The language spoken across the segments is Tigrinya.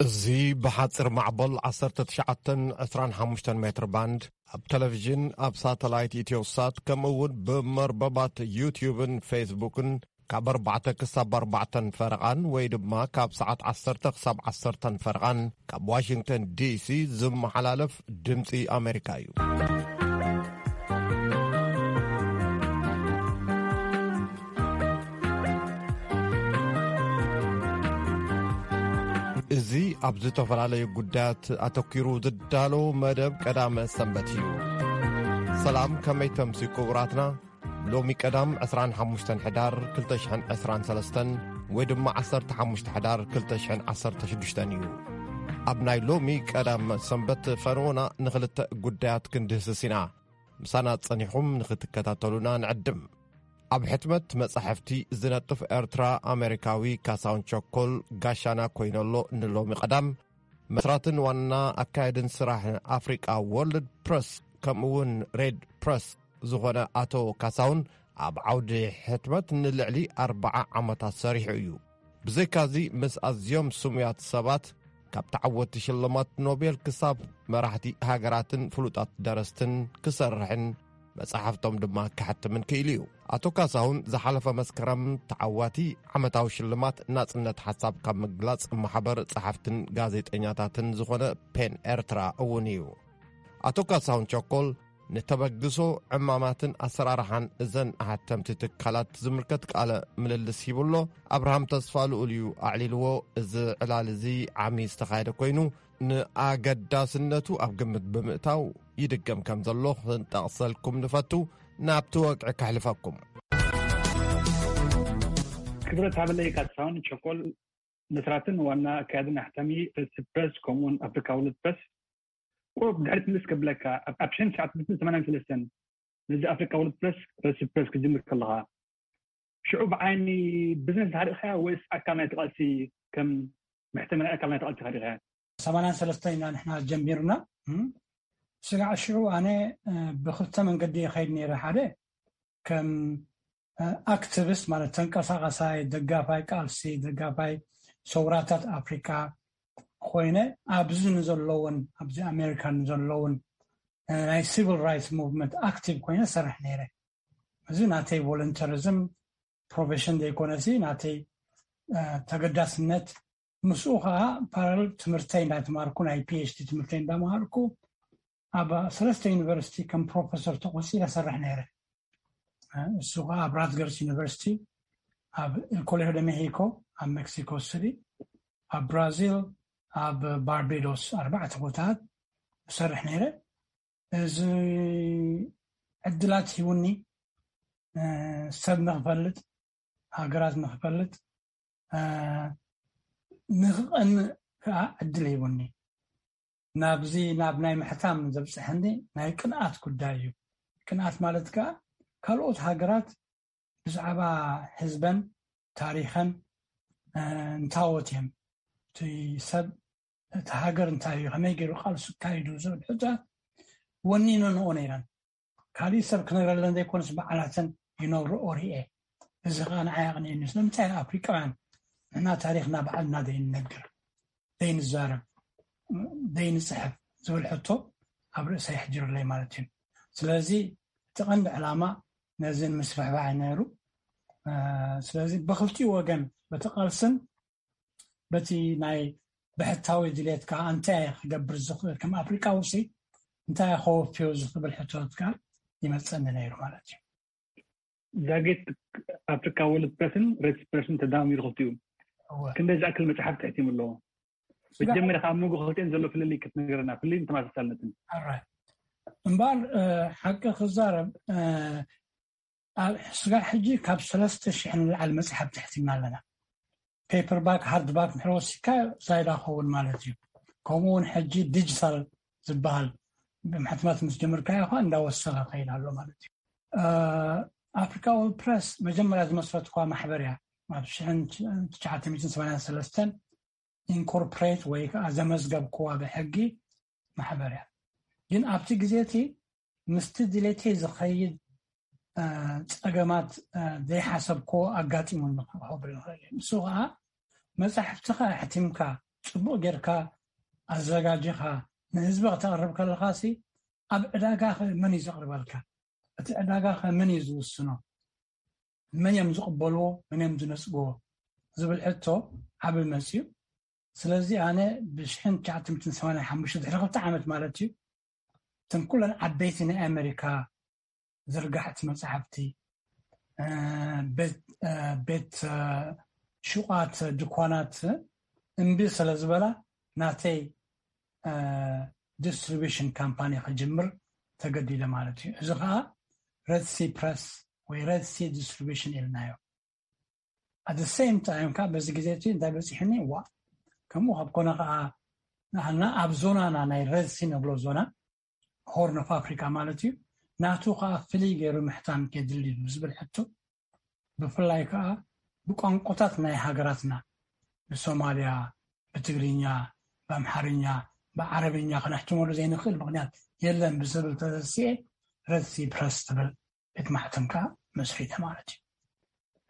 እዚ ብሓፂር ማዕበል ዓሰርተ ትሽዓተን ዕስራን ሓሙሽተን ሜትር ባንድ ኣብ ቴሌቪዥን፣ ኣብ ሳተላይት ኢትዮሳት፣ ከምኡ እውን ብመርበባት ዩትዩብን ፌስቡክን ካብ ኣርባዕተ ክሳብ ኣርባዕተን ፈረቓን ወይ ድማ ካብ ሰዓት ዓሰርተ ክሳብ ዓሰርተን ፈረቓን ካብ ዋሽንግተን ዲሲ ዝመሓላለፍ ድምፂ ኣሜሪካ እዩ። እዚ ኣብ ዝተፈላለዩ ጉዳያት ኣተኲሩ ዝዳሎ መደብ ቀዳመ ሰንበት እዩ። ሰላም፣ ከመይ ተምሲ ክቡራትና? ሎሚ ቀዳም ዕስራን ሓሙሽተን ሕዳር ክልተ ሽሕን ዕስራን ሰለስተን ወይ ድማ ዓሰርተ ሓሙሽተ ሕዳር ክልተ ሽሕን ዓሰርተ ሽዱሽተን እዩ። ኣብ ናይ ሎሚ ቀዳም ሰንበት ፈነወና ንኽልተ ጉዳያት ክንድህስስ ኢና። ምሳና ጸኒኹም ንኽትከታተሉና ንዕድም። ኣብ ሕትመት መጻሕፍቲ ዝነጥፍ ኤርትራ ኣሜሪካዊ ካሳሁን ቸኮል ጋሻና ኮይነሎ ንሎሚ ቀዳም መስራትን ዋና ኣካየድን ስራሕ ኣፍሪቃ ወርልድ ፕረስ ከምኡ እውን ሬድ ፕረስ ዝኾነ ኣቶ ካሳሁን ኣብ ዓውዲ ሕትመት ንልዕሊ ኣርባዓ ዓመታት ሰሪሑ እዩ። ብዘይካዚ ምስ ኣዝዮም ስሙያት ሰባት ካብ ተዓወትቲ ሽልማት ኖቤል ክሳብ መራሕቲ ሃገራትን ፍሉጣት ደረስትን ክሰርሕን መጻሕፍቶም ድማ ክሕትምን ክኢሉ እዩ። ኣቶ ካሳሁን ዝሓለፈ መስከረም ተዓዋቲ ዓመታዊ ሽልማት ናጽነት ሓሳብ ካብ ምግላጽ ማሕበር ጸሓፍትን ጋዜጠኛታትን ዝኾነ ፔን ኤርትራ እውን እዩ። ኣቶ ካሳሁን ቸኮል ንተበግሶ ዕማማትን ኣሰራርሓን እዘን ኣሓተምቲ ትካላት ዝምልከት ቃለ ምልልስ ሂቡ ኣሎ። ኣብርሃም ተስፋ ልኡል እዩ ኣዕሊልዎ። እዚ ዕላል እዚ ዓሚ ዝተኻየደ ኮይኑ ንኣገዳስነቱ ኣብ ግምት ብምእታው ይድገም ከም ዘሎ ክንጠቕሰልኩም ንፈቱ። ናብቲ ወግዒ ከሕልፈኩም። ክብረት ሃበለይ ካሳሁን ቸኮል፣ መስራትን ዋና ኣካያድን ኣሕታሚ ሬድ ፕረስ ከምኡውን ኣፍሪካ ወርልድ ፕረስ። ቁሩብ ድሕሪት ምልስ ከብለካ፣ ኣብ ኣብ ሽሕን ትሽዓተ ሚእትን ሰማንያን ሰለስተን ነዚ ኣፍሪካ ወርልድ ፕረስ፣ ሬድ ፕረስ ክጅምር ከለኻ፣ ሽዑ ብዓይኒ ቢዝነስ ርኢኻዮ ወይስ ኣካል ናይቲ ቃልሲ፣ ከም መሕተሚ ናይ ኣካል ናይቲ ቃልሲ ርኢኻዮ? ሰማንያን ሰለስተን ኢና ንሕና ጀሚርና። እም፣ ስጋዕ ሽዑ ኣነ፣ እ፣ ብክልተ መንገዲ ይኸይድ ነይረ። ሓደ ከም፣ እ፣ ኣክቲቪስት ማለት ተንቀሳቓሳይ ደጋፋይ ቃልሲ፣ ደጋፋይ ሰውራታት ኣፍሪቃ ኮይነ፣ ኣብዚ ንዘለውን፣ ኣብዚ ኣሜሪካ ንዘለውን፣ እ፣ ናይ ሲቪል ራይትስ ሙቭመንት ኣክቲቭ ኮይነ ሰርሕ ነይረ። እዚ ናተይ ቮለንተሪዝም ፕሮፌሽን ዘይኮነሲ ናተይ፣ እ፣ ተገዳስነት። ምስኡ ከዓ ፓራል ትምህርተይ እንዳተማርኩ፣ ናይ ፒ ኤች ዲ ትምህርተይ እንዳመሃርኩ፣ ኣብ ሰለስተ ዩኒቨርሲቲ ከም ፕሮፌሰር ተቆፂረ ሰርሕ ነይረ። እ፣ እሱ ከዓ ኣብ ራትገርስ ዩኒቨርሲቲ፣ ኣብ ኮሌጆ ደ ሜሂኮ፣ ኣብ ሜክሲኮ ሲቲ፣ ኣብ ብራዚል፣ ኣብ ባርቤዶስ፣ ኣርባዕተ ቦታታት እሰርሕ ነይረ። እዚ ዕድላት ሂቡኒ፣ እ፣ ሰብ ንኽፈልጥ፣ ሃገራት ንኽፈልጥ፣ እ፣ ንኽቐንእ ከዓ ዕድል ሂቡኒ። ናብዚ፣ ናብ ናይ ምሕታም ዘብፅሐኒ ናይ ቅንኣት ጉዳይ እዩ። ቅንኣት ማለት ከዓ ካልኦት ሃገራት ብዛዕባ ህዝበን ታሪኸን፣ እ፣ እንታዎት እዮም፣ እቲ ሰብ፣ እቲ ሃገር እንታይ እዩ፣ ከመይ ገይሩ ቃልሱ ኣካይዱ ዝብል ሕቶታት ወኒነንኦ ነይረን። ካሊእ ሰብ ክነግረለን ዘይኮነስ ባዕላተን ይነግርኦ ሪኤ። እዚ ከዓ ንዓይ ኣቕኒእኒ። ስለምንታይ ኣፍሪቃውያን ንሕና ታሪኽና ባዕልና ዘይንነግር፣ ዘይንዛረብ፣ ዘይንፅሕፍ ዝብል ሕቶ ኣብ ርእሰይ ኣሕዲሩለይ ማለት እዩ። ስለዚ እቲ ቀንዲ ዕላማ ነዚ ንምስፍሕፋሕ እዩ ነይሩ። እ፣ ስለዚ ብኽልቲኡ ወገን፣ በቲ ቃልስን በቲ ናይ ብሕታዊ ድሌት ከዓ እንታይ እየ ክገብር ዝኽእል፣ ከም ኣፍሪቃዊ ሲ እንታይ እየ ከወፍዮ ዝኽብል ሕቶታት ከዓ ይመፀኒ ነይሩ ማለት እዩ። ዛጌት ኣፍሪካ ወርልድ ፕረስን ሬድ ፕረስን ተዳሚሩ ክልቲኡ እወ። ክንደይ ዝኣክል መፅሓፍቲ ሕቲሙ ኣለዎ? ስጋ- መጀመርያ ካብ መንጎ ክልቲአን ዘሎ ፍልልይ ክትነግረና፣ ፍልልይን ተመሳሳልነትን። ኣራይ። እምበኣር፣ እ፣ ሓቂ ክዛረብ፣ እ፣ ኣብ ስጋዕ ሕጂ ካብ ሰለስተ ሽሕ ንላዕሊ መፅሓፍቲ ሕቲምና ኣለና። ፔፐር ባክ፣ ሃርድ ባክ እንድሕር ወሲድካ ዛይዳ ክኸውን ማለት እዩ። ከምኡ እውን ሕጂ ዲጂታል ዝበሃል ብምሕትማት ምስ ጀመርካዮ ከዓ እንዳወሰኸ ከይድ ኣሎ ማለት እዩ። እ፣ ኣፍሪካ ወርልድ ፕረስ መጀመርያ ዝመስረትኳ ማሕበር እያ። ኣብ ሽሕን ትሽዓተ ሚእትን ሰማንያን ሰለስተን ኢንኮርፖሬት ወይ ከዓ ዘመዝገብክዋ ብሕጊ ማሕበር እያ። ግን ኣብቲ ግዜ እቲ ምስቲ ድሌተይ ዝኸይድ፣ እ፣ ጸገማት፣ እ፣ ዘይሓሰብክዎ ኣጋጢሙኒ ክብል ይኽእል እየ። ንሱ ከዓ መጻሕፍትኻ ኣሕቲምካ ጽቡቕ ጌርካ ኣዘጋጂኻ ንህዝቢ ከተቕርብ ከለኻሲ፣ ኣብ ዕዳጋ ኸ መን እዩ ዘቕርበልካ? እቲ ዕዳጋ ኸ መን እዩ ዝውስኖ? መን እዮም ዝቕበልዎ? መን እዮም ዝነጽግዎ? ዝብል ሕቶ ዓቢ መጽዩ። ስለዚ ኣነ ብሽሕን ትሽዓተ ሚእትን ሰማንያን ሓሙሽተ፣ ድሕሪ ክልተ ዓመት ማለት እዩ፣ እተን ኩለን ዓበይቲ ናይ ኣሜሪካ ዝርጋሕቲ መጽሓፍቲ፣ እ፣ ቤት፣ እ፣ ቤት፣ እ፣ ሹቓት፣ ድኳናት እምቢ ስለ ዝበላ፣ ናተይ፣ እ፣ ዲስትሪቢሽን ካምፓኒ ክጅምር ተገዲደ ማለት እዩ። እዚ ኸኣ ሬድ ሲ ፕረስ ወይ ሬድ ሲ ዲስትሪቢሽን ኢልናዮ። ኣት ሴም ታይም ከዓ በዚ ግዜ እቲ እንታይ በፂሕኒ፣ ዋ፣ ከምኡ ካብ ኮነ ከዓ ንዓና ኣብ ዞናና፣ ናይ ሬድ ሲ ንብሎ ዞና፣ ሆርን ኦፍ ኣፍሪካ ማለት እዩ፣ ናቱ ከዓ ፍልይ ገይሩ ምሕታም የድሊ ዝብል ሕቶ፣ ብፍላይ ከዓ ብቋንቋታት ናይ ሃገራትና፣ ብሶማልያ ብትግርኛ፣ ብኣምሓርኛ፣ ብዓረብኛ ክነሕትመሉ ዘይንኽእል ምኽንያት የለን ብዝብል ተተሲኤ፣ ረድሲ ፕረስ ትብል ቤት ማሕተም ከዓ መስሪተ ማለት እዩ።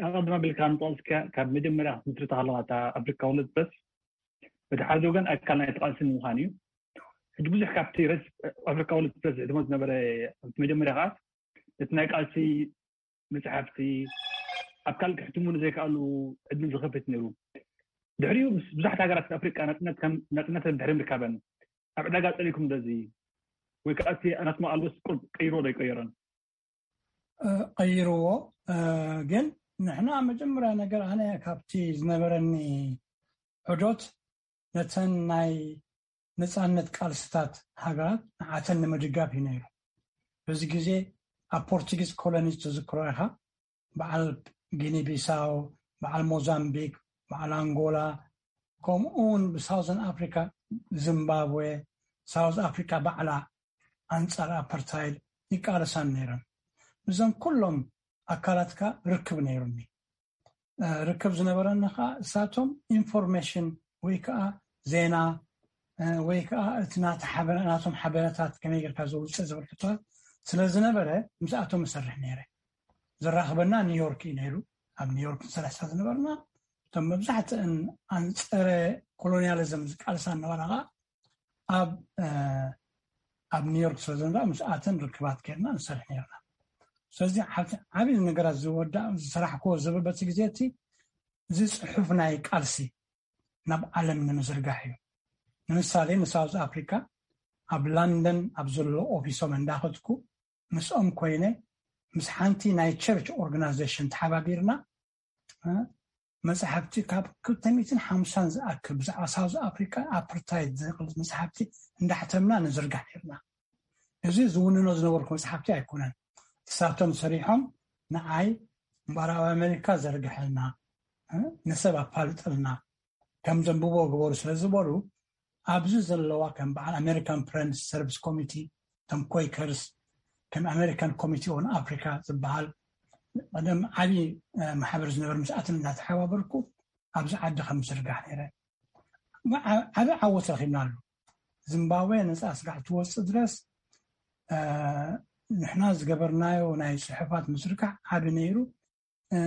ኣቐድም ኣቢልካ ንጠቕስካ፣ ካብ መጀመርያ ክትምስርታ ከለኻ እታ ኣፍሪካ ወርልድ ፕረስ፣ በቲ ሓደ ወገን ኣካል ናይቲ ቃልሲ ንምዃን እዩ። ሕጂ ብዙሕ ካብቲ ረድሲ ኣፍሪካ ወርልድ ፕረስ ዝሕትሞ ዝነበረ፣ ኣብቲ መጀመርያ ከዓ ነቲ ናይ ቃልሲ መጽሓፍቲ ኣብ ካልእ ክሕትሙ ንዘይከኣሉ ዕድል ዝኸፍት ነይሩ። ድሕሪኡ ምስ ብዙሓት ሃገራት ኣፍሪቃ ናጽነት ከም ናጽነተን ድሕሪ ምርካበን ኣብ ዕዳጋ ጸሊኩም ዶ እዚ ወይ ከዓ እቲ ኣናትማ ኣልቦስ ቁርብ ቀይርዎ ዶ ኣይቀየሮን? እ፣ ቀይርዎ። እ፣ ግን ንሕና መጀመርያ ነገር ኣነ ካብቲ ዝነበረኒ ዑደት ነተን ናይ ነጻነት ቃልስታት ሃገራት ንዓተን ንምድጋፍ እዩ ነይሩ። በዚ ግዜ ኣብ ፖርቱጊዝ ኮሎኒ ትዝክሮ ኢኻ፣ በዓል ጊኒ ቢሳው፣ በዓል ሞዛምቢክ፣ በዓል ኣንጎላ፣ ከምኡ እውን ብሳውዘን ኣፍሪካ፣ ዚምባብዌ፣ ሳውዝ ኣፍሪካ ባዕላ ኣንጻር ኣፓርታይድ ይቃለሳን ነይረን። ምስዞም ኩሎም ኣካላትካ ርክብ ነይሩኒ። እ፣ ርክብ ዝነበረኒ ከዓ እሳቶም ኢንፎርሜሽን ወይ ከዓ ዜና፣ እ፣ ወይ ከዓ እቲ ናተ ሓበረ-፣ ናቶም ሓበረታት ከመይ ጌርካ ዘውፅእ ዝብል ሕቶታት ስለ ዝነበረ ምስኣቶም እሰርሕ ነይረ። ዘራኽበና ኒውዮርክ እዩ ነይሩ። ኣብ ኒውዮርክ ንሰርሕ ስለ ዝነበርና እቶም መብዛሕትእን ኣንፀረ ኮሎኒያሊዝም ዝቃልሳ ነበራ ከዓ ኣብ፣ እ፣ ኣብ ኒውዮርክ ስለ ዝነበራ ምስኣተን ርክባት ጌርና ንሰርሕ ነይርና። ስለዚ ሓንቲ ዓብዪ ነገራት ዝወዳ-፣ ዝሰራሕክዎ ዝብል በቲ ግዜ እቲ እዚ ጽሑፍ ናይ ቃልሲ ናብ ዓለም ንምዝርጋሕ እዩ። ንምሳሌ ንሳውዝ ኣፍሪካ ኣብ ላንደን ኣብ ዘሎ ኦፊሶም እንዳኸድኩ ምስኦም ኮይነ ምስ ሓንቲ ናይ ቸርች ኦርጋናይዜሽን ተሓባቢርና፣ እ፣ መጽሓፍቲ ካብ ክልተ ሚእትን ሓምሳን ዝኣክል ብዛዕባ ሳውዝ ኣፍሪካ ኣፓርታይድ ዝብል መጽሓፍቲ እንዳሕተምና ንዝርጋሕ ነይርና። እዚ ዝውንኖ ዝነበርኩ መጽሓፍቲ ኣይኮነን። እሳቶም ሰሪሖም ንዓይ ምዕራብ ኣሜሪካ ዘርግሐልና፣ እ፣ ንሰብ ኣፋልጠልና፣ ከም ዘንብቦ ግበሩ ስለ ዝበሉ፣ ኣብዚ ዘለዋ ከም በዓል ኣሜሪካን ፍሬንድስ ሰርቪስ ኮሚቲ፣ ከም ኮይከርስ፣ ከም ኣሜሪካን ኮሚቲ ኦን ኣፍሪካ ዝበሃል ቀደም ዓብዪ፣ እ፣ ማሕበር ዝነበር ምስኣትን እናተሓባበርኩ ኣብዚ ዓዲ ከም ዝርጋሕ ነይረ። ዓ-፣ ዓቢ ዓወት ረኺብናሉ። ዚምባብዌ ነጻ ስራሕ ትወጽእ ድረስ፣ እ፣ ንሕና ዝገበርናዮ ናይ ጽሑፋት ምዝርጋሕ ዓቢ ነይሩ። እ፣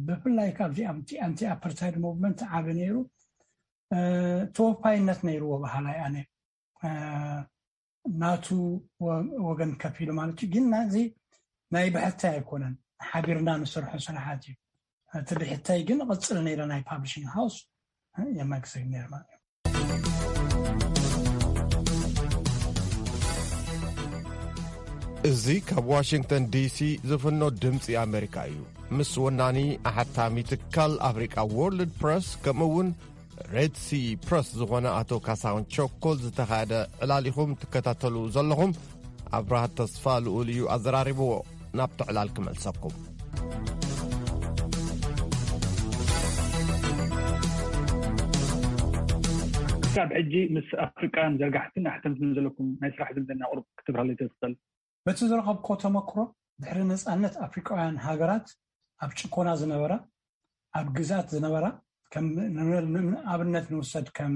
ብፍላይ ካብዚ ኣንቲ-፣ ኣንቲ ኣፓርታይድ ሙቭመንት ዓቢ ነይሩ። እ፣ ተወፋይነት ነይርዎ በሃላይ ኣነ። እ፣ ናቱ ወ-፣ ወገን ከፊሉ ማለት እዩ። ግን ናዚ ናይ ብሕታይ ኣይኮነን። ሓቢርና ንሰርሖ ስራሓት እዩ። እቲ ብሕታይ ግን ቅጽል ነይረ ናይ ፓብሊሽንግ ሃውስ፣ እ፣ የመግዘግ ነይሩ ማለት እዩ። እዚ ካብ ዋሽንግተን ዲሲ ዝፍኖ ድምፂ ኣሜሪካ እዩ። ምስ ወናኒ ኣሓታሚ ትካል ኣፍሪቃ ወርልድ ፕረስ፣ ከምኡ እውን ሬድ ሲ ፕረስ ዝኾነ ኣቶ ካሳሁን ቸኮል ዝተኻየደ ዕላል ኢኹም ትከታተሉ ዘለኹም። ኣብርሃ ተስፋ ልኡል እዩ ኣዘራሪብዎ። ናብቲ ዕላል ክመልሰኩም። ክሳብ ሕጂ ምስ ኣፍሪቃን ዘርጋሕትን ኣሕተምትን ዘለኩም ናይ ስራሕ ዝምድና ቁሩብ ክትብራለይ ትኽእል? በቲ ዝረኸብኩዎ ተመክሮ፣ ድሕሪ ነጻነት ኣፍሪቃውያን ሃገራት ኣብ ጭቆና ዝነበራ፣ ኣብ ግዝኣት ዝነበራ፣ ከም ን-፣ ን-፣ ንኣብነት ንውሰድ ከም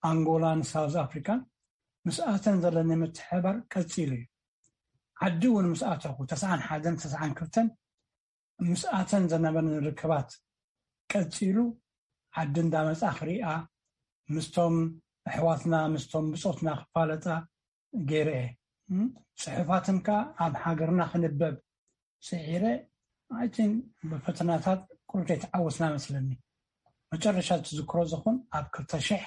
ኣንጎላን ሳውዝ ኣፍሪካን፣ ምስኣተን ዘለኒ ምትሕብባር ቀጺሉ እዩ። ዓዲ እውን ምስ ኣተኹ፣ ተስዓን ሓደን ተስዓን ክልተን ምስኣተን ዘነበኒ ርክባት ቀጺሉ፣ ዓዲ እንዳመጻ ክሪኣ፣ ምስቶም ኣሕዋትና ምስቶም ብፆትና ክፋለጣ ገይረ እየ። ጽሑፋትን ከዓ ኣብ ሃገርና ክንበብ ስዒረ ኣይቲን ብፈተናታት ቁሩብ ዘይተዓወትና መስለኒ። መጨረሻ ትዝክሮ ዝኹን ኣብ ክልተ ሽሕ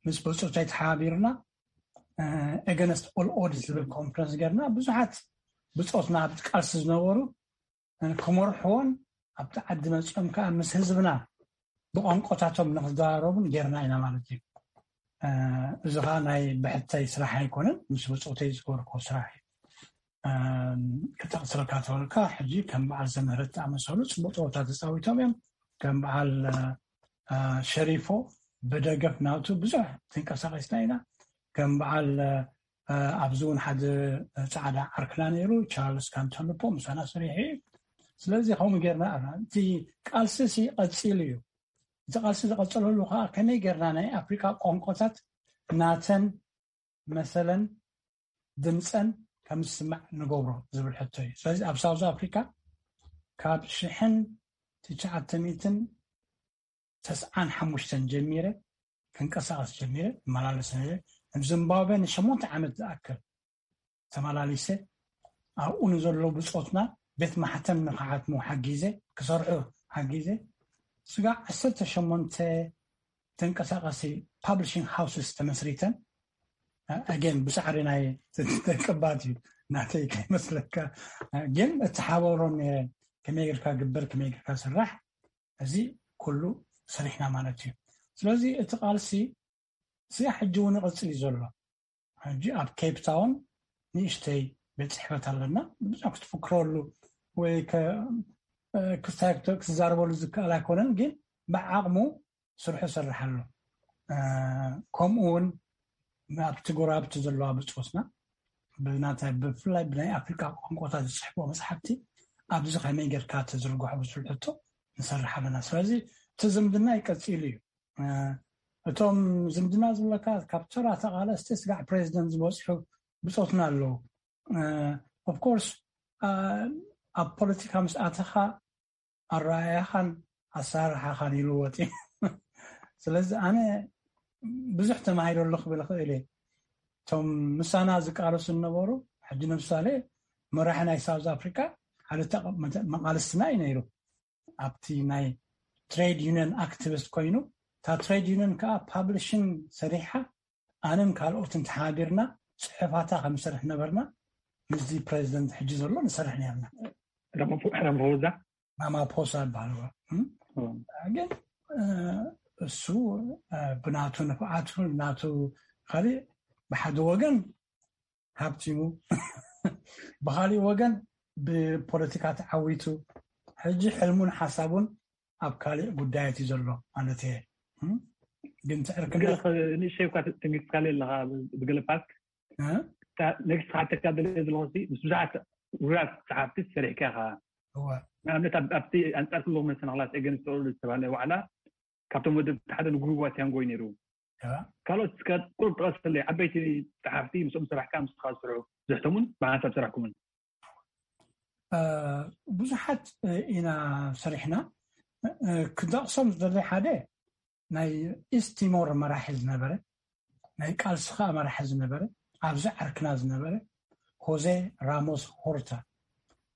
ምስ ብፆተይ ተሓባቢርና ኤገነስት ኦል ኦድስ ዝብል ኮንፈረንስ ገርና ብዙሓት ብፆትና ኣብ ቃልሲ ዝነበሩ ክመርሕዎን ኣብቲ ዓዲ መፂኦም ከዓ ምስ ህዝብና ብቋንቋታቶም ንክዘራረቡን ጌርና ኢና ማለት እዩ። እዚ ከዓ ናይ ብሕተይ ስራሕ ኣይኮነን፣ ምስ ብፆተይ ዝገበርኮ ስራሕ እዩ። ክጠቅስረካ ተበልካ ሕጂ ከም በዓል ዘምህረት ዝኣመሰሉ ፅቡቅ ፀወታ ተፃዊቶም እዮም። ከም በዓል ሸሪፎ ብደገፍ ናቱ ብዙሕ ተንቀሳቀስና ኢና። ከም በዓል ኣብዚ እውን ሓደ ፃዕዳ ዓርክና ነይሩ ቻርልስ ካንቶልፖ ምሳና ሰሪሑ እዩ። ስለዚ ከምኡ ጌርና ኣና እቲ ቃልሲ ሲ ቀፂሉ እዩ። እቲ ቃልሲ ዝቐፀለሉ ከዓ ከመይ ጌርና ናይ ኣፍሪካ ቋንቋታት ናተን መሰለን ድምፀን ከም ዝስማዕ ንገብሮ ዝብል ሕቶ እዩ። ስለዚ ኣብ ሳውዝ ኣፍሪካ ካብ ሽሕን ትሽዓተ ሚእትን ተስዓን ሓሙሽተን ጀሚረ ክንቀሳቀስ ጀሚረ እመላለስ ነረ። ኣብ ዚምባብዌ ንሸሞንተ ዓመት ዝኣክል ተመላሊሰ ኣብኡ ንዘለዉ ብፆትና ቤት ማሕተም ንክሓትሙ ሓጊዘ ክሰርሑ ሓጊዘ ስጋዕ ዓሰርተ ሸሞንተ ተንቀሳቀሲ ፓብሊሽንግ ሃውስስ ተመስሪተን ኣገን ብፃዕሪ ናይ ተቀባት እዩ ናተይ ከይመስለካ ግን እተሓበሮም ነረን ከመይ ጌርካ ግበር ከመይ ጌርካ ስራሕ እዚ ኩሉ ሰሪሕና ማለት እዩ። ስለዚ እቲ ቃልሲ እዚ ሕጂ እውን ይቕፅል እዩ ዘሎ። ሕጂ ኣብ ኬፕ ታውን ንእሽተይ ቤት ፅሕፈት ኣለና። ብዙሕ ክትፍክረሉ ወይ ክዛረበሉ ዝከኣል ኣይኮነን፣ ግን ብዓቕሙ ስርሑ ይሰርሕ ኣሎ። ከምኡ እውን ኣብቲ ጎረባብቲ ዘለዋ ብፆትና ብናታይ ብፍላይ ብናይ ኣፍሪካ ቋንቋታት ዝፅሕፍዎ መፅሓፍቲ ኣብዚ ከመይ ጌርካ ተዝርግሖ ብዝብል ሕቶ ንሰርሕ ኣለና። ስለዚ እቲ ዝምድና ይቀፂሉ እዩ። እቶም ዝምድና ዝብለካ ካብ ተራ ተቓለስቲ ስጋዕ ፕሬዚደንት ዝበፅሑ ብፆትና ኣለዉ። ኦፍኮርስ ኣብ ፖለቲካ ምስ ኣተኻ ኣረኣያኻን ኣሰራርሓኻን ይልወጥ እዩ። ስለዚ ኣነ ብዙሕ ተማሂረሉ ክብል እኽእል እየ። እቶም ምሳና ዝቃለሱ ዝነበሩ ሕጂ ንምሳሌ መራሒ ናይ ሳውዝ ኣፍሪካ ሓደ መቃልስትና እዩ ነይሩ። ኣብቲ ናይ ትሬድ ዩኒየን ኣክቲቪስት ኮይኑ እታ ትሬድ ዩኒየን ከዓ ፓብሊሽን ሰሪሓ ኣነን ካልኦትን ተሓቢርና ፅሑፋታ ከምሰርሕ ነበርና። ምስዚ ፕሬዚደንት ሕጂ ዘሎ ንሰርሕ ነርና። ረመፎዛ ማማፖሳ ይበሃል። ግን እሱ ብናቱ ንፍዓቱ ናቱ ካሊእ ብሓደ ወገን ሃብቲሙ ብካሊእ ወገን ብፖለቲካ ተዓዊቱ ሕጂ ሕልሙን ሓሳቡን ኣብ ካሊእ ጉዳያት እዩ ዘሎ ማለት እየ። ግን ትዕርክነት ንእሽተይ እኳ ተንጊስካለ ኣለካ ብገለ ፓርት ነግስካ ተካደለ ዘለኹ ምስ ብዙሓት ውራት ፀሓፍቲ ሰሪሕካ ኢኻ። ንኣብነት ኣብቲ ኣንፃር ክልኹም መሰናክላት ኤገንስት ዝተባሃለ ዋዕላ ካብቶም ወደብቲ ሓደ ንጉሩብ ዋቲያንጎ እዩ ነይሩ። ካልኦት እስከ ቁሩብ ጥቐሰለይ ዓበይቲ ፀሓፍቲ ምስኦም ሰራሕካ ምስኻ ዝሰርሑ ዝሕተሙን ብሓንሳብ ሰራሕኩምን? ብዙሓት ኢና ሰሪሕና። ክጠቕሶም ዝደሊ ሓደ ናይ ኢስት ቲሞር መራሒ ዝነበረ ናይ ቃልሲ ከዓ መራሒ ዝነበረ ኣብዚ ዓርክና ዝነበረ ሆዜ ራሞስ ሆርታ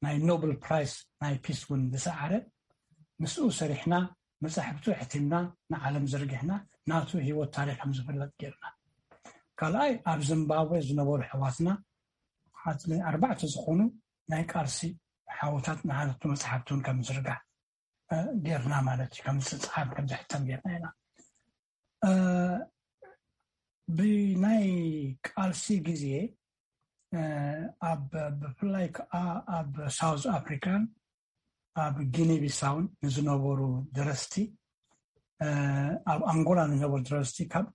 ናይ ኖብል ፕራይስ ናይ ፒስ እውን ዝሰዓረ ምስኡ ሰሪሕና መፃሕፍቱ ሕቲምና ንዓለም ዘርጊሕና ናቱ ህይወት ታሪክ ከም ዝፍለጥ ጌርና። ካልኣይ ኣብ ዚምባብዌ ዝነበሩ ኣሕዋትና ኣርባዕተ ዝኾኑ ናይ ቃልሲ ሓወታት ንሓለቱ መፅሓፍቲ እውን ከም ዝርጋሕ ጌርና ማለት እዩ። ከም ዝፅሓፍ ከም ዝሕተም ጌርና ኢና። ብናይ ቃልሲ ግዜ ኣብ ብፍላይ ከዓ ኣብ ሳውዝ ኣፍሪካን ኣብ ጊኒ ቢሳውን ንዝነበሩ ደረስቲ ኣብ ኣንጎላ ንነበሩ ደረስቲ ካብ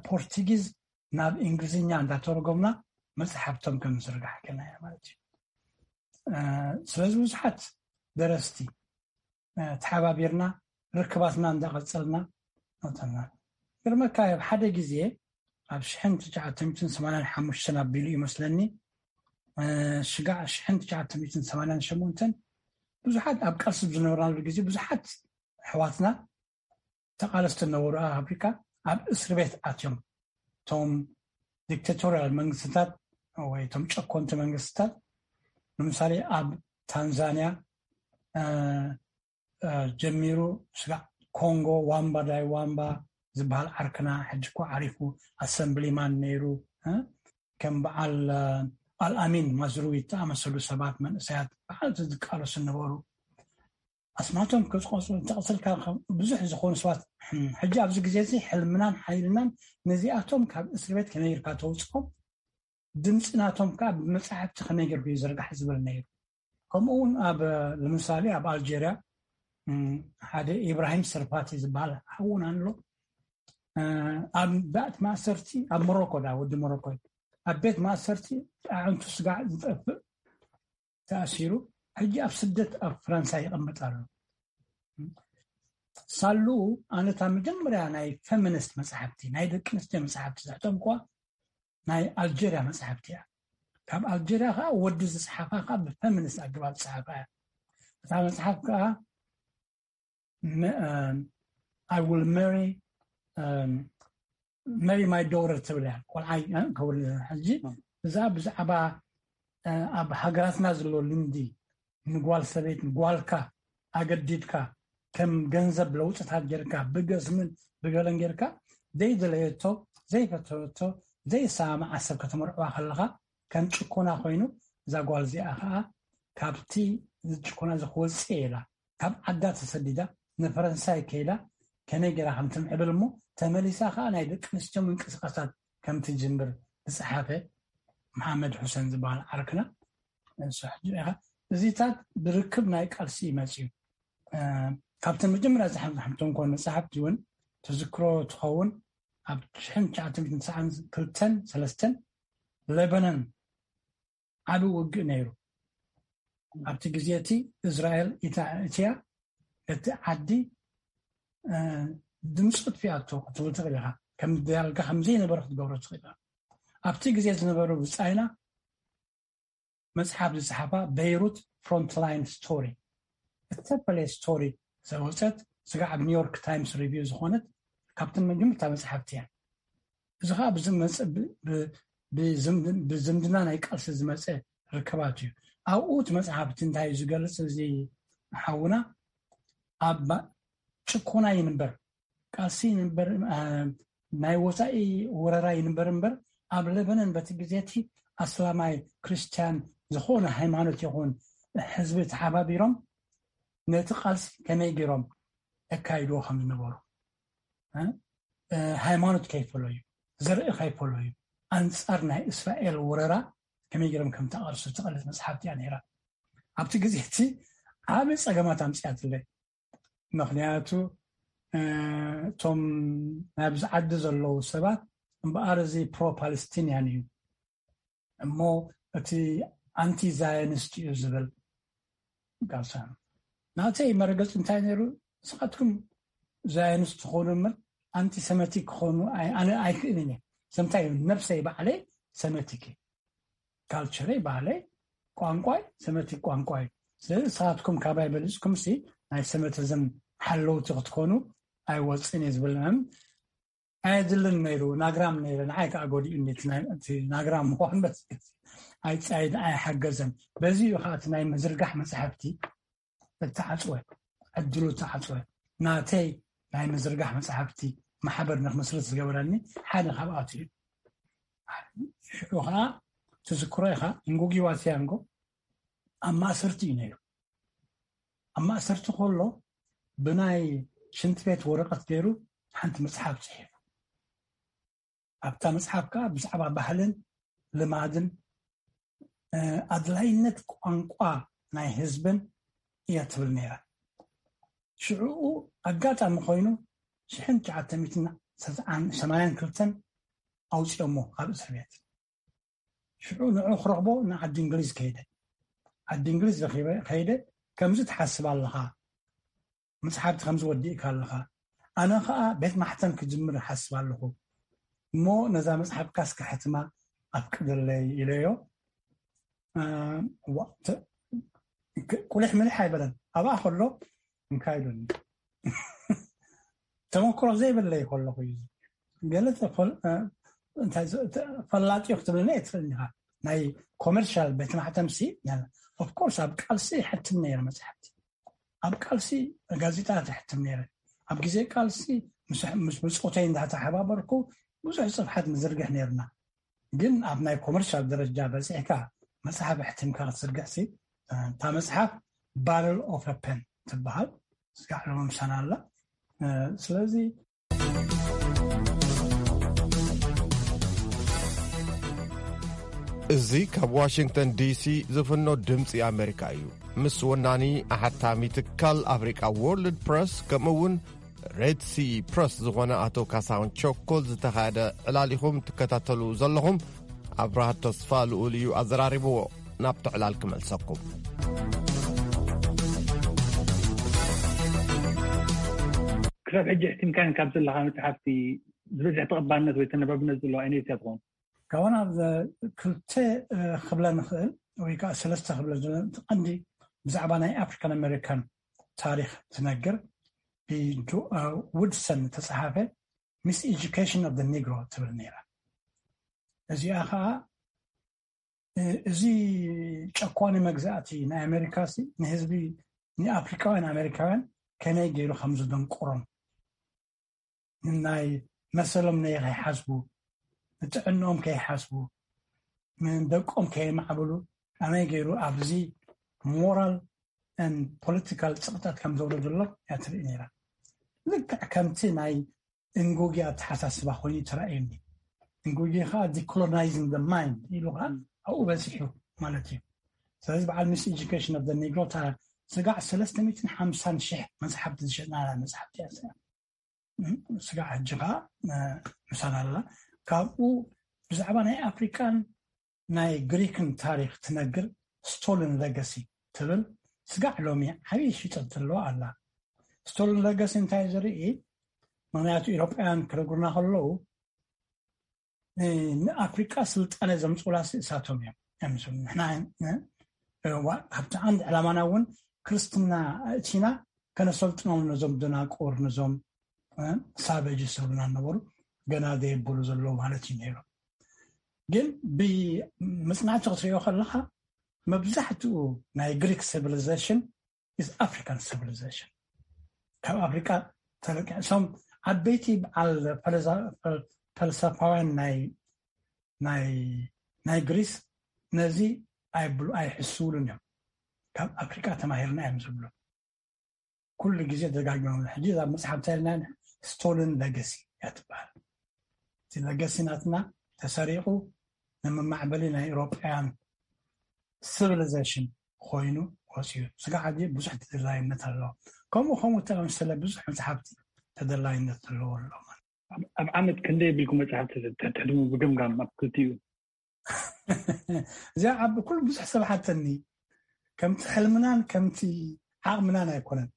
ፖርቱጊዝ ናብ እንግሊዝኛ እንዳተረጎምና መፅሓፍቶም ከም ዝርጋሕ ጌርና ኢና ማለት እዩ። ስለዚ ብዙሓት ደረስቲ ተሓባቢርና ርክባትና እንዳቐፀልና መፀና። ግርመካ ኣብ ሓደ ግዜ ኣብ ሽሕን ትሽዓተ ሚእትን ሰማንያን ሓሙሽተን ኣቢሉ ይመስለኒ ሽጋዕ ሽሕን ትሽዓተ ሚእትን ሰማንያን ሸሞንተን ብዙሓት ኣብ ቃልሲ ዝነበርናሉ ግዜ ብዙሓት ኣሕዋትና ተቃለስቲ ነበሩ ኣብ ኣፍሪካ ኣብ እስር ቤት ኣትዮም። እቶም ዲክታቶርያል መንግስትታት ወይ እቶም ጨኮንቲ መንግስትታት፣ ንምሳሌ ኣብ ታንዛንያ ጀሚሩ፣ ስጋዕ ኮንጎ ዋምባ ዳይ ዋምባ ዝበሃል ዓርክና፣ ሕጂ እኮ ዓሪፉ፣ ኣሰምብሊማን ነይሩ። ከም በዓል ኣልኣሚን ማዝሩዊ ዝተኣመሰሉ ሰባት፣ መንእሰያት በዓል ዝቃለሱ ነበሩ። ኣስማቶም ክፅቆፁ እንተቐፅልካ ብዙሕ ዝኾኑ ሰባት፣ ሕጂ ኣብዚ ግዜ እዚ ሕልምናን ሓይልናን ነዚኣቶም ካብ እስር ቤት ከመይ ጌርካ ተውፅኦም፣ ድምፂ ናቶም ከዓ ብመፅሓፍቲ ከመይ ጌርኩ ይዝርጋሕ ዝብል ነይሩ። ከምኡ እውን ኣብ፣ ንምሳሌ ኣብ ኣልጀርያ ሓደ ኢብራሂም ሰርፓቲ ዝበሃል ሓውና ኣሎ። ኣብ ቤት ማእሰርቲ፣ ኣብ ሞሮኮ ዳ ወዲ ሞሮኮ፣ ኣብ ቤት ማእሰርቲ ኣዕንቱ ስጋዕ ዝጠፍእ ተኣሲሩ፣ ሕጂ ኣብ ስደት ኣብ ፈረንሳ ይቐመጥ ኣሎ። ሳሉ ኣነ እታ መጀመርያ ናይ ፌሚኒስት መፅሓፍቲ፣ ናይ ደቂ ኣንስትዮ መፅሓፍቲ ዘሕተምኳ ናይ ኣልጀርያ መፅሓፍቲ እያ። ካብ ኣልጀርያ ከዓ ወዲ ዝፅሓፋ ከዓ ብፌሚኒስት ኣገባብ ዝፅሓፋ እያ። እታ መፅሓፍ ከዓ I will marry marry my daughter ትብል እያ። ቆልዓይ ከውል ሕጂ እዛ ብዛዕባ ኣብ ሃገራትና ዘሎ ልምዲ፣ ንጓል ሰበይት ንጓልካ ኣገዲድካ ከም ገንዘብ ለውጥታት ጌርካ ብገስምን ብገለን ጌርካ ዘይደለየቶ ዘይፈተወቶ ዘይሰማማዓ ሰብ ከተመርዕዋ ከለኻ ከም ጭኮና ኮይኑ፣ እዛ ጓል እዚኣ ከዓ ካብቲ ጭኮና እዚ ክወፅእ ኢላ ካብ ዓዳ ተሰዲዳ ንፈረንሳይ ከይዳ ከመይ ጌራ ከም ትምዕብል እሞ ተመሊሳ ከዓ ናይ ደቂ ኣንስትዮ ምንቅስቃሳት ከም ትጅምር ዝፀሓፈ መሓመድ ሑሰን ዝበሃል ዓርክና ንሱ ሕጂ ኢኻ። እዚታት ብርክብ ናይ ቃልሲ ይመፅዩ። ካብተን መጀመርያ ዝሓምቶም ኮን መፅሓፍቲ እውን ትዝክሮ ትኸውን። ኣብ ሽሕን ትሽዓተ ሚእትን ትስዓን ክልተን ሰለስተን ለበነን ዓቢ ውግእ ነይሩ። ኣብቲ ግዜ እቲ እስራኤል ኢታ- እትያ እቲ ዓዲ ድምፂ ጥፊኣቶ ክትብል ትኽእል ኢኻ። ከም ዳርጋ ከም ዘይነበረ ክትገብሮ ትኽእል ኢኻ። ኣብቲ ግዜ ዝነበሩ ብጻይና መጽሓፍ ዝጸሓፋ በይሩት ፍሮንትላይን ስቶሪ እተፈለየ ስቶሪ ዘወፀት ስጋዕ ኣብ ኒውዮርክ ታይምስ ሪቪው ዝኾነት ካብተን መጀመርታ መጽሓፍቲ እያ። እዚ ከዓ ብዝመፀ ብዝምድና ናይ ቃልሲ ዝመፀ ርክባት እዩ። ኣብኡ እቲ መፅሓፍቲ እንታይ እዩ ዝገልፅ? እዚ ሓውና ኣብ ጭኮና ይንበር ቃልሲ ይንበር ናይ ወፃኢ ወረራ ይንበር እምበር ኣብ ለበነን በቲ ግዜ እቲ ኣስላማይ ክርስትያን ዝኾነ ሃይማኖት ይኹን ህዝቢ ተሓባቢሮም ነቲ ቃልሲ ከመይ ገይሮም የካይድዎ ከም ዝነበሩ ሃይማኖት ከይፈለዩ ዘርኢ ከይፈለዩ ኣንፃር ናይ እስራኤል ወረራ ከመይ ገይሮም ከም ተቃልሱ ትቐልስ መፅሓፍቲ እያ ነይራ። ኣብቲ ግዜ እቲ ዓብ ፀገማት ኣምፅኣትለይ። ምክንያቱ እቶም ናብዚ ዓዲ ዘለዉ ሰባት እምበኣር እዚ ፕሮ ፓለስቲንያን እዩ እሞ እቲ ኣንቲ ዛዮኒስት እዩ ዝብል ጋሳ ናተይ መረገፂ እንታይ ነይሩ? ንስኻትኩም ዛዮኒስት ትኾኑ እምበር ኣንቲሰመቲክ ክኾኑ ኣነ ኣይክእልን እየ። ሰምታይ ነብሰይ ባዕለይ ሰመቲክ ካልቸረይ ባህለይ ቋንቋይ ሰመቲክ ቋንቋይ። ስለዚ ንስኻትኩም ካባይ በሊፅኩም ሲ ናይ ሰመቲዝም ሓለውቲ ክትኮኑ ኣይወፅን እየ ዝብል ኣየድልን ነይሩ። ናግራም ነይረ ንዓይ ከዓ ጎዲኡ ናግራም ምኳን በስ ኣይፀይድ ኣይሓገዘን። በዚ እዩ ከዓ እቲ ናይ ምዝርጋሕ መፅሓፍቲ እተዓፅወ ዕድሉ እተዓፅወ ናተይ ናይ ምዝርጋሕ መፅሓፍቲ ማሕበር ንክምስርት ዝገበረኒ ሓደ ካብኣቱ እዩ። ሽዑ ከዓ ትዝክሮ ኢኻ እንጉጊዋ ሲያንጎ ኣብ ማእሰርቲ እዩ ነይሩ። ኣብ ማእሰርቲ ከሎ ብናይ ሽንቲ ቤት ወረቐት ገይሩ ሓንቲ መፅሓፍ ፅሒፉ ኣብታ መፅሓፍ ከዓ ብዛዕባ ባህልን ልማድን ኣድላይነት ቋንቋ ናይ ህዝብን እያ ትብል ነይራ። ሽዕኡ ኣጋጣሚ ኮይኑ ሽሕን ትሽዓተ ሚእትን ሰማንያን ክልተን ኣውፅኦሞ ካብ እስር ቤት። ሽዑ ንዑ ክረኽቦ ንዓዲ እንግሊዝ ከይደ። ዓዲ እንግሊዝ ረኺበ ከይደ ከምዚ ትሓስብ ኣለኻ መፅሓፍቲ ከምዚ ወዲእካ ኣለኻ ኣነ ከዓ ቤት ማሕተም ክጅምር ሓስብ ኣለኹ እሞ ነዛ መፅሓፍካ እስከ ሕትማ ኣፍቅደለይ ኢለዮ። ቁልሕ ምልሕ ኣይበለን ኣብኣ ከሎ እንካይሉኒ ተመክሮ ዘይብለይ ከለኹ እዩ። ገለ ተፈል- እ፣ እንታይ ዝ- ተ- ፈላጢ ክትብለና ኣይትኽእልን ኢኻ። ናይ ኮመርሻል ቤት ማሕተምሲ ኦፍኮርስ ኣብ ቃልሲ ይሕትም ነይረ መፅሓፍቲ። ኣብ ቃልሲ ጋዜጣ ትሕትም ነይረ። ኣብ ግዜ ቃልሲ ምስ ምስ ብፆተይ እንዳተሓባበርኩ ብዙሕ ፅፍሓት ንዝርግሕ ነይርና። ግን ኣብ ናይ ኮመርሻል ደረጃ በፂሕካ መፅሓፍ ኣሕቲምካ ክትዝርግሕሲ፣ እታ መፅሓፍ ባረል ኦፍ ፐን ትበሃል። ስጋዕ ሎሚ ምሳና ኣላ። ስለዚ እዚ ካብ ዋሽንግተን ዲሲ ዝፍኖ ድምፂ ኣሜሪካ እዩ። ምስ ወናኒ ኣሓታሚ ትካል ኣፍሪቃ ወርልድ ፕረስ፣ ከምኡ እውን ሬድ ሲ ፕረስ ዝኾነ ኣቶ ካሳሁን ቸኮል ዝተኻየደ ዕላል ኢኹም ትከታተሉ ዘለኹም። ኣብርሃት ተስፋ ልኡል እዩ ኣዘራሪብዎ። ናብቲ ዕላል ክመልሰኩም። ክሳብ ሕጂ ሕቲምካን ካብ ዘለካ መፅሓፍቲ ዝበዝሕ ተቐባልነት ወይ ተነባብነት ዘለዎ ኣይነት እያ ትኸውን? ካብ ናብ ክልተ ክብለ ንኽእል ወይ ከዓ ሰለስተ ክብለ ዝኽእል፣ እቲ ቀንዲ ብዛዕባ ናይ ኣፍሪካን ኣሜሪካን ታሪክ ትነግር ብውድሰን ተፃሓፈ ሚስ ኤጁኬሽን ኦፍ ኒግሮ ትብል ነይራ። እዚኣ ከዓ እዚ ጨቋኒ መግዛእቲ ናይ ኣሜሪካ ንህዝቢ ንኣፍሪካውያን ኣሜሪካውያን ከመይ ገይሩ ከም ዝደንቆሮም፣ ናይ መሰሎም ነይ ከይሓስቡ፣ ንጥዕንኦም ከይሓስቡ፣ ንደቆም ከየማዕብሉ ከመይ ገይሩ ኣብዚ ሞራል ን ፖለቲካል ፅቕጠት ከም ዘውረደሎም እያ ትርኢ ነይራ። ልክዕ ከምቲ ናይ እንጉጊ ኣተሓሳስባ ኮይኑ ተራእዩኒ። እንጉጊ ከዓ ዲኮሎናይዝን ደ ማይንድ ኢሉ ከዓ ኣብኡ በፂሑ ማለት እዩ። ስለዚ በዓል ሚስ ኤጁኬሽን ኦፍ ኒግሮ እታ ስጋዕ ሰለስተ ሚእትን ሓምሳን ሽሕ መፅሓፍቲ ዝሸጥና መፅሓፍቲ እያ። ስጋዕ ሕጂ ከዓ ምሳና ኣላ። ካብኡ ብዛዕባ ናይ ኣፍሪካን ናይ ግሪክን ታሪክ ትነግር ስቶልን ለገሲ ትብል ስጋዕ ሎሚ ዓብዪ ሽጠት ዘለዋ ኣላ። ስቶልን ለገሲ እንታይ ዝርኢ? ምክንያቱ ኢሮጳውያን ክነግሩና ከለዉ ንኣፍሪቃ ስልጣነ ዘምፅኡላ እሳቶም እዮም። ንሕና ካብቲ ዓንድ ዕላማና እውን ክርስትና እቲና ከነሰልጥኖም ነዞም ደናቁር ነዞም ሳበጅ ዝብሉና ነበሩ። ገና ዘየበሉ ዘለዉ ማለት እዩ ነይሩ። ግን ብመፅናዕቲ ክትሪኦ ከለካ መብዛሕትኡ ናይ ግሪክ ሲቪሊዜሽን is African civilization። ካብ ኣፍሪካ ተለቂሶም ዓበይቲ በዓል ፈልሰፋውያን ናይ ግሪስ ነዚ ኣይብሉ ኣይሕስብሉን እዮም። ካብ ኣፍሪካ ተማሂርና እዮም ዝብሉ። ኩሉ ግዜ ደጋግሞም ሕጂ ኣብ መፅሓፍ እንታይ ኢልና? ስቶልን ለገሲ እያ ትበሃል። እቲ ለገሲ ናትና ተሰሪቑ ንመማዕበሊ ናይ ኤውሮጳውያን ሲቪሊዜሽን ኮይኑ ወፅዩ። ስጋዕ ሕጂ ብዙሕ ተደላይነት ኣለዎ። ከምኡ ከምኡ ተመሰለ ብዙሕ መፅሓፍቲ ተደላይነት ዘለዎ ኣሎ። ኣብ ዓመት ክንደይ የብልኩም መፅሓፍቲ ተሕትሙ ብግምጋም ኣብ ክልቲኡ? እዚኣ ዓቢ ኩሉ ብዙሕ ሰብ ሓተኒ። ከምቲ ሕልምናን ከምቲ ዓቕምናን ኣይኮነን።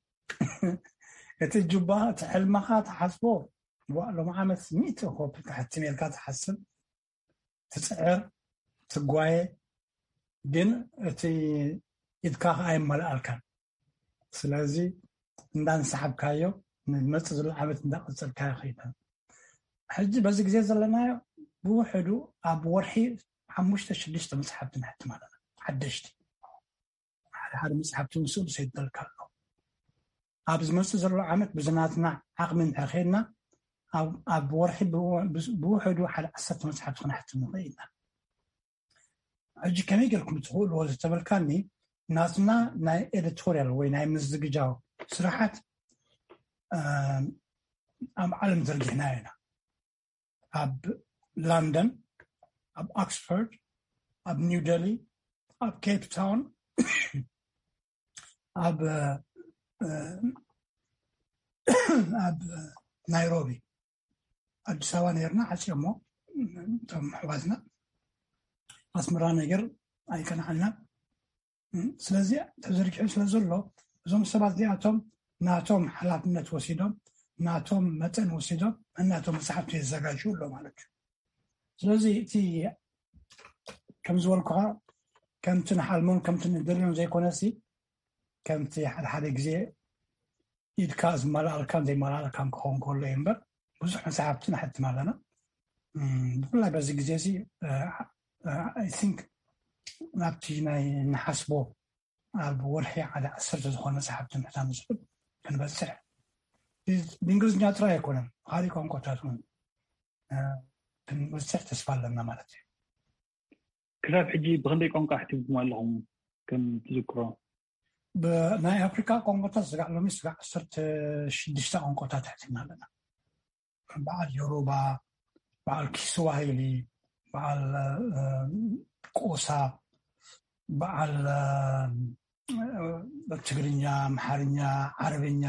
እቲ ጁባ እቲ ሕልምኻ ትሓስቦ ሎም ዓመት ሚእቲ ኮፒ ክሕትም ኢልካ ትሓስብ፣ ትፅዕር፣ ትጓየ፣ ግን እቲ ኢድካ ከዓ ኣይመልኣልካን። ስለዚ እንዳንሰሓብካዮ ንመፅእ ዘሎ ዓመት እንዳቐፀልካዮ ከይዳ። ሕጂ በዚ ግዜ ዘለናዮ ብውሕዱ ኣብ ወርሒ ሓሙሽተ ሽዱሽተ መፅሓፍቲ ንሕትም ኣለና። ሓደሽቲ ሓደ ሓደ መፅሓፍቲ እውን ስእሉ ሰይደልካ ኣሎ። ኣብ ዝመፅእ ዘሎ ዓመት ብዝናትና ዓቕሚ እንድሕር ከይድና ኣብ ወርሒ ብውሕዱ ሓደ ዓሰርተ መፅሓፍቲ ክነሕትም ንኽእል ኢና። ሕጂ ከመይ ጌርኩም ትኽእልዎ ዝተበልካኒ፣ ናትና ናይ ኤዲቶርያል ወይ ናይ ምዝግጃው ስራሓት ኣብ ዓለም ዘርጊሕናዮ ኢና። ኣብ ላንደን፣ ኣብ ኦክስፎርድ፣ ኣብ ኒው ደሊ፣ ኣብ ኬፕ ታውን፣ ኣብ ኣብ ናይሮቢ፣ ኣዲስ ኣበባ ነርና ሓፂኦሞ እቶም ኣሕዋትና። ኣስመራ ነገር ኣይቀንዓልናን። ስለዚ ተዘርጊሑ ስለ ዘሎ እዞም ሰባት እዚኣቶም ናቶም ሓላፍነት ወሲዶም ናቶም መጠን ወሲዶም እናቶም መፅሓፍቲ የዘጋጅ ኣሎ ማለት እዩ። ስለዚ እቲ ከም ዝበልኩኻ ከምቲ ንሓልሞን ከምቲ ንደልዮን ዘይኮነሲ ከምቲ ሓደ ሓደ ግዜ ኢድካ ዝመላኣልካን ዘይመላኣልካን ክኸውን ከሎ እዩ እምበር ብዙሕ መፅሓፍቲ ንሕትም ኣለና። ብፍላይ በዚ ግዜ እዚ I think ናብቲ ናይ ንሓስቦ ኣብ ወርሒ ሓደ ዓሰርተ ዝኾነ መፅሓፍቲ ምሕታም ዝኽእል ክንበፅሕ፣ ብእንግሊዝኛ ጥራይ ኣይኮነን፣ ካልእ ቋንቋታት እውን ክንበፅሕ ተስፋ ኣለና ማለት እዩ። ክሳብ ሕጂ ብክንደይ ቋንቋ ኣሕቲምኩም ኣለኹም? ከም ትዝክሮ ብናይ ኣፍሪካ ቋንቋታት ስጋዕ ሎሚ ስጋዕ ዓሰርተ ሽዱሽተ ቋንቋታት ኣሕቲምና ኣለና። በዓል ዮሩባ፣ በዓል ኪስዋሂሊ፣ በዓል ቆሳ፣ በዓል ትግርኛ፣ ኣምሓርኛ፣ ዓረብኛ፣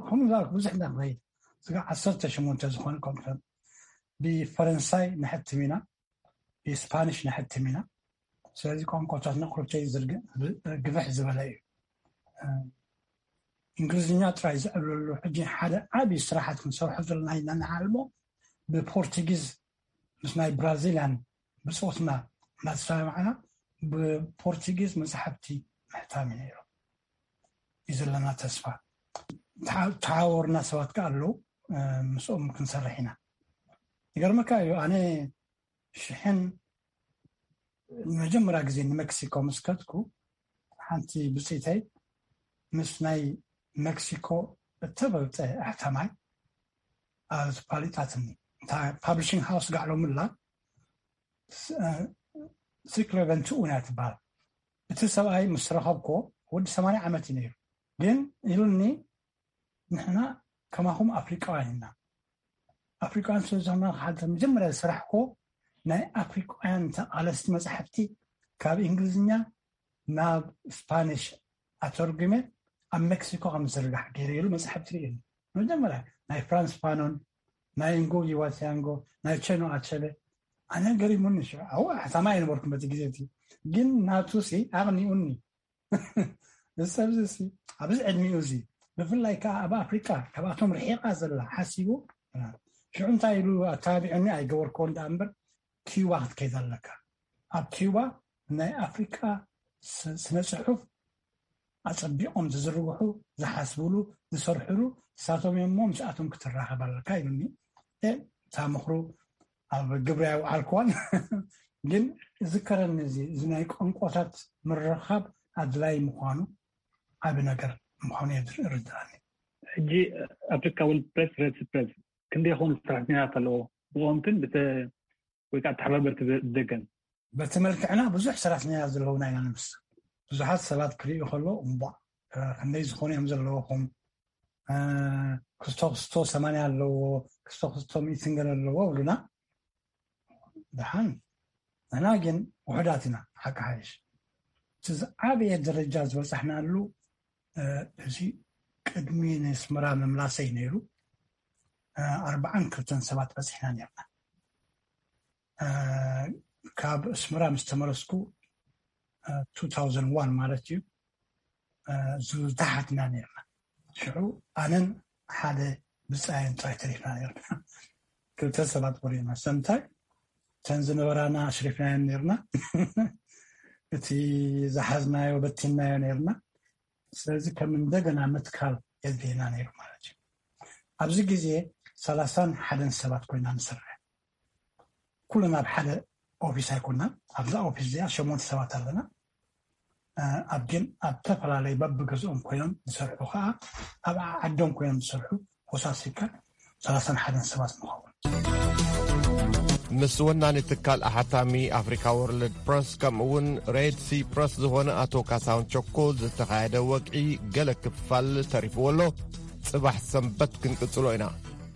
ከምኡ ብዙሕ ኢና ንኸይድ። ስጋዕ ዓሰርተ ሸሞንተ ዝኾኑ ቋንቋታት ብፈረንሳይ ንሕትም ኢና፣ ብስፓኒሽ ንሕትም ኢና። ስለዚ ቋንቋታትና ኩርተይ ዝርግ- ግፍሕ ዝበለ እዩ። እንግሊዝኛ ጥራይ ዝዕብለሉ ሕጂ ሓደ ዓብዪ ስራሓት ክንሰርሖ ዘለና ኢና ንዓልሞ ብፖርቱጊዝ ምስ ናይ ብራዚልያን ብፆትና እናተሰማማዕና ብፖርቱጊዝ መፅሓፍቲ ምሕታም እዩ ነይሩ እዩ ዘለና ተስፋ። ተሓወርና ሰባት ከ ኣለዉ፣ ምስኦም ክንሰርሕ ኢና። ይገርመካ እዩ ኣነ ሽሕን ንመጀመርያ ግዜ ንመክሲኮ ምስ ከድኩ ሓንቲ ብፅኢተይ ምስ ናይ መክሲኮ እተበልፀ ኣሕታማይ ኣፋሊጣትኒ። እታ ፓብሊሽንግ ሃውስ ጋዕሎምላ ሲክሎ ቨንትኡ እያ ትበሃል። እቲ ሰብኣይ ምስ ረኸብኮ ወዲ ሰማንያ ዓመት እዩ ነይሩ። ግን ኢሉኒ ንሕና ከማኹም ኣፍሪቃውያን ኢና። ኣፍሪቃውያን ስለ ዝኾንና ሓደ መጀመርያ ዝሰራሕኮ ናይ ኣፍሪቃውያን ተቓለስቲ መፅሓፍቲ ካብ እንግሊዝኛ ናብ ስፓኒሽ ኣተርጉመ ኣብ ሜክሲኮ ከም ዝርጋሕ ገይረ ኢሉ መፅሓፍቲ ርእየኒ። መጀመርያ ናይ ፍራንስ ፋኖን ናይ ንጎጊ ዋቲያንጎ ናይ ቸኖ ኣቸለ ኣነ ገሪሙኒ። ሽዑ ኣው ኣሕታማ ኣይነበርኩም በቲ ግዜ እቲ ግን ናቱ ሲ ኣቕኒኡኒ። እዚ ሰብ እዚ ኣብዚ ዕድሚኡ እዚ ብፍላይ ከዓ ኣብ ኣፍሪቃ ካብኣቶም ርሒቃ ዘላ ሓሲቡ ሽዑ እንታይ ኢሉ ኣተባቢዑኒ ኣይገበርክዎን ደኣ እምበር ኪዩባ ክትከይድ ኣለካ። ኣብ ኪዩባ ናይ ኣፍሪቃ ስነ ፅሑፍ ኣፀቢቆም ዝዝርግሑ ዝሓስብሉ ዝሰርሕሉ ንሳቶም እዮም እሞ ምስኣቶም ክትራኸብ ኣለካ ኢሉኒ። እታ ምኽሩ ኣብ ግብሪ ኣይወዓልክዋን ግን እዝከረኒ እዚ እዚ ናይ ቋንቋታት ምርኻብ ኣድላይ ምዃኑ ዓቢ ነገር ምዃኑ እየ ዝርድኣኒ። ሕጂ ኣፍሪካ ወርልድ ፕሬስ ሬድ ፕሬስ ክንደይ ይኸውን ሰራሕተኛታት ኣለዎ? ብቆምትን ወይ ከዓ ተሓባበርቲ ደገን በቲ መልክዕና ብዙሕ ሰራሕተኛታት ዘለውና ኢና ንምስል። ብዙሓት ሰባት ክርእዩ ከሎ እምቧ ክንደይ ዝኾኑ እዮም ዘለውኹም? ክስቶ ክስቶ ሰማንያ ኣለዎ፣ ክስቶ ክስቶ ሚእትን ገለ ኣለዎ ብሉና። ደሓን ንሕና ግን ውሑዳት ኢና። ሓቂ ሓይሽ እቲ ዝዓበየ ደረጃ ዝበፃሕናሉ እዚ ቅድሚ ንስመራ ምምላሰይ ነይሩ ኣርባዓን ክልተን ሰባት በፂሕና ነርና። ካብ ኣስመራ ምስ ተመለስኩ two thousand one ማለት እዩ። ዝታሓትና ነርና። ሽዑ ኣነን ሓደ ብፃየን ጥራይ ተሪፍና ነርና። ክልተ ሰባት ቆሪና ሰምታይ ተን ዝነበራና ኣሽሪፍናየን ነርና። እቲ ዝሓዝናዮ በቲናዮ ነርና። ስለዚ ከም እንደገና ምትካል የድልየና ነይሩ ማለት እዩ። ኣብዚ ግዜ ሰላሳን ሓደን ሰባት ኮይና ንሰርሕ። ኩልና ኣብ ሓደ ኦፊስ ኣይኮናን። ኣብዛ ኦፊስ እዚኣ ሸሞንተ ሰባት ኣለና። ኣብ ግን ኣብ ተፈላለይ በብገዝኦም ኮይኖም ዝሰርሑ ከዓ ኣብ ዓዶም ኮይኖም ዝሰርሑ ወሳሲካ ሰላሳን ሓደን ሰባት ንኸውን። ምስ ወናኒ ትካል ኣሓታሚ ኣፍሪካ ወርልድ ፕረስ ከምኡ እውን ሬድ ሲ ፕረስ ዝኾነ ኣቶ ካሳሁን ቸኮል ዝተኻየደ ወግዒ ገለ ክፋል ተሪፍዎ ኣሎ። ፅባሕ ሰንበት ክንቅፅሎ ኢና።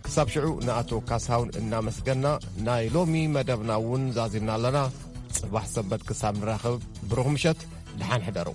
ክሳብ ሽዑ ንኣቶ ካሳሁን እናመስገና ናይ ሎሚ መደብና እውን ዛዚምና ኣለና። ፅባሕ ሰንበት ክሳብ ንራኸብ ብሩኽ ምሸት፣ ደሓን ሕደሩ።